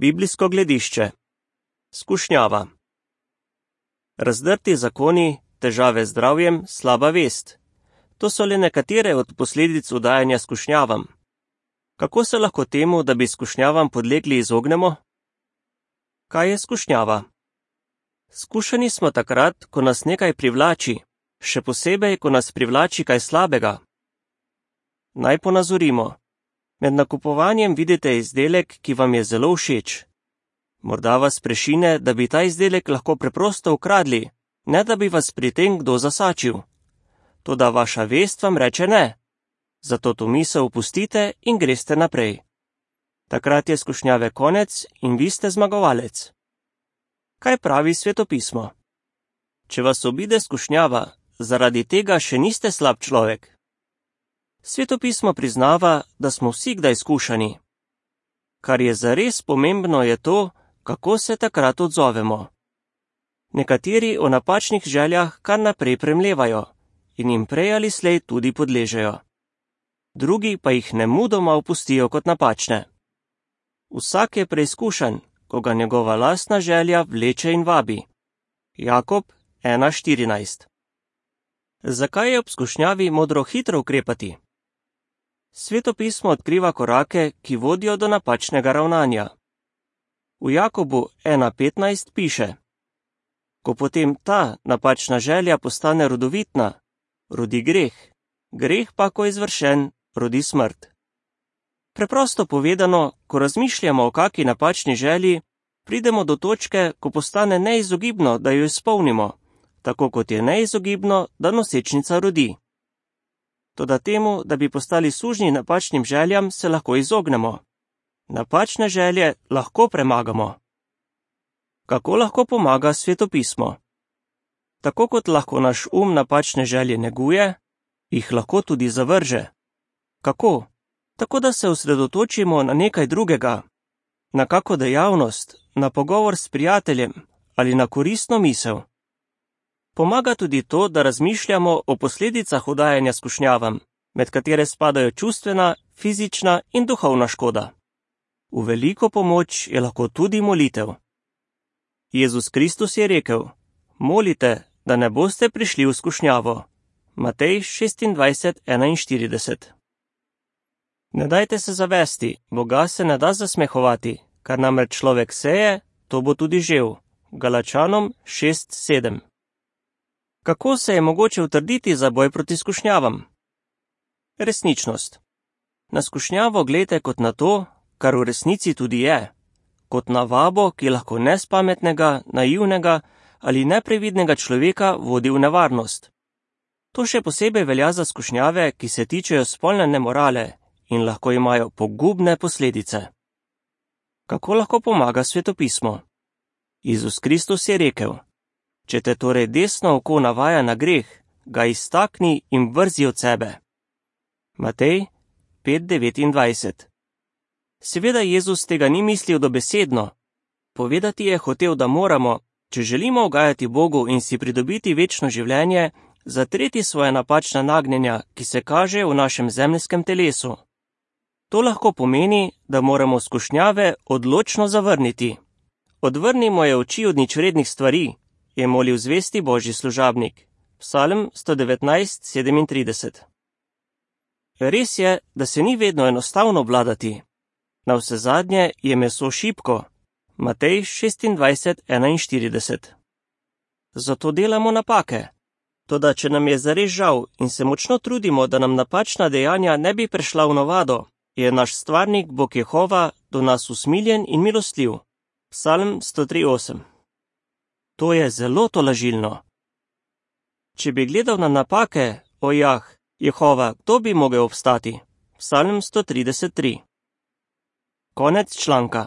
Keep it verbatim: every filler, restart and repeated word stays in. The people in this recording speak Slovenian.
Biblijsko gledišče. Skušnjava. Razdrti zakoni, težave z zdravjem, slaba vest. To so le nekatere od posledic udajanja skušnjavam. Kako se lahko temu, da bi skušnjavam podlegli, izognemo? Kaj je skušnjava? Skušani smo takrat, ko nas nekaj privlači, še posebej, ko nas privlači kaj slabega. Naj ponazorimo. Med nakupovanjem vidite izdelek, ki vam je zelo všeč. Morda vas prešine, da bi ta izdelek lahko preprosto ukradli, ne da bi vas pri tem kdo zasačil. Toda vaša vest vam reče ne. Zato to misel opustite in greste naprej. Takrat je skušnjave konec in vi ste zmagovalec. Kaj pravi svetopismo? Če vas obide skušnjava, zaradi tega še niste slab človek. Svetopismo priznava, da smo vsi kdaj skušani. Kar je zares pomembno, je to, kako se takrat odzovemo. Nekateri o napačnih željah kar naprej premlevajo in jim prej ali slej tudi podležejo. Drugi pa jih nemudoma opustijo kot napačne. Vsak je preizkušan, ko ga njegova lastna želja vleče in vabi. Jakob ena štirinajst. Zakaj je ob skušnjavi modro hitro ukrepati? Svetopismo odkriva korake, ki vodijo do napačnega ravnanja. V Jakobu ena petnajst piše: Ko potem ta napačna želja postane rodovitna, rodi greh, greh pa, ko je izvršen, rodi smrt. Preprosto povedano, ko razmišljamo o kaki napačni želji, pridemo do točke, ko postane neizogibno, da jo izpolnimo, tako kot je neizogibno, da nosečnica rodi. Toda temu, da bi postali sužnji napačnim željam, se lahko izognemo. Napačne želje lahko premagamo. Kako lahko pomaga svetopismo? Tako kot lahko naš um napačne želje neguje, jih lahko tudi zavrže. Kako? Tako da se osredotočimo na nekaj drugega, na kako dejavnost, na pogovor s prijateljem ali na koristno misel. Pomaga tudi to, da razmišljamo o posledicah udajanja skušnjavam, med katere spadajo čustvena, fizična in duhovna škoda. V veliko pomoč je lahko tudi molitev. Jezus Kristus je rekel: Molite, da ne boste prišli v skušnjavo. Matej šestindvajset enainštirideset. Ne dajte se zavesti, Boga se ne da zasmehovati, kar namreč človek seje, to bo tudi žel. Galačanom šest sedem. Kako se je mogoče utrditi za boj proti skušnjavam? Resničnost. Na skušnjavo glejte kot na to, kar v resnici tudi je, kot na vabo, ki lahko nespametnega, naivnega ali neprevidnega človeka vodi v nevarnost. To še posebej velja za skušnjave, ki se tičejo spolne nemorale in lahko imajo pogubne posledice. Kako lahko pomaga svetopismo? Jezus Kristus je rekel: Če te torej desno oko navaja na greh, ga iztakni in vrzi od sebe. Matej pet devetindvajset. Seveda Jezus tega ni mislil dobesedno. Povedati je hotel, da moramo, če želimo ugajati Bogu in si pridobiti večno življenje, zatreti svoje napačna nagnjenja, ki se kaže v našem zemeljskem telesu. To lahko pomeni, da moramo skušnjave odločno zavrniti. Odvrnimo je oči od ničvrednih stvari, je molil zvesti Božji služabnik. Psalm sto devetnajst sedemintrideset. Res je, da se ni vedno enostavno vladati. Navsezadnje je meso šibko. Matej šestindvajset enainštirideset. Zato delamo napake. Toda če nam je zares žal in se močno trudimo, da nam napačna dejanja ne bi prešla v navado, je naš stvarnik Bog Jehova do nas usmiljen in milostljiv. Psalm sto tri osem. To je zelo tolažilno. Če bi gledal na napake, o jah, Jehova, kdo bi mogel obstati? Psalm sto trideset tri. Konec članka.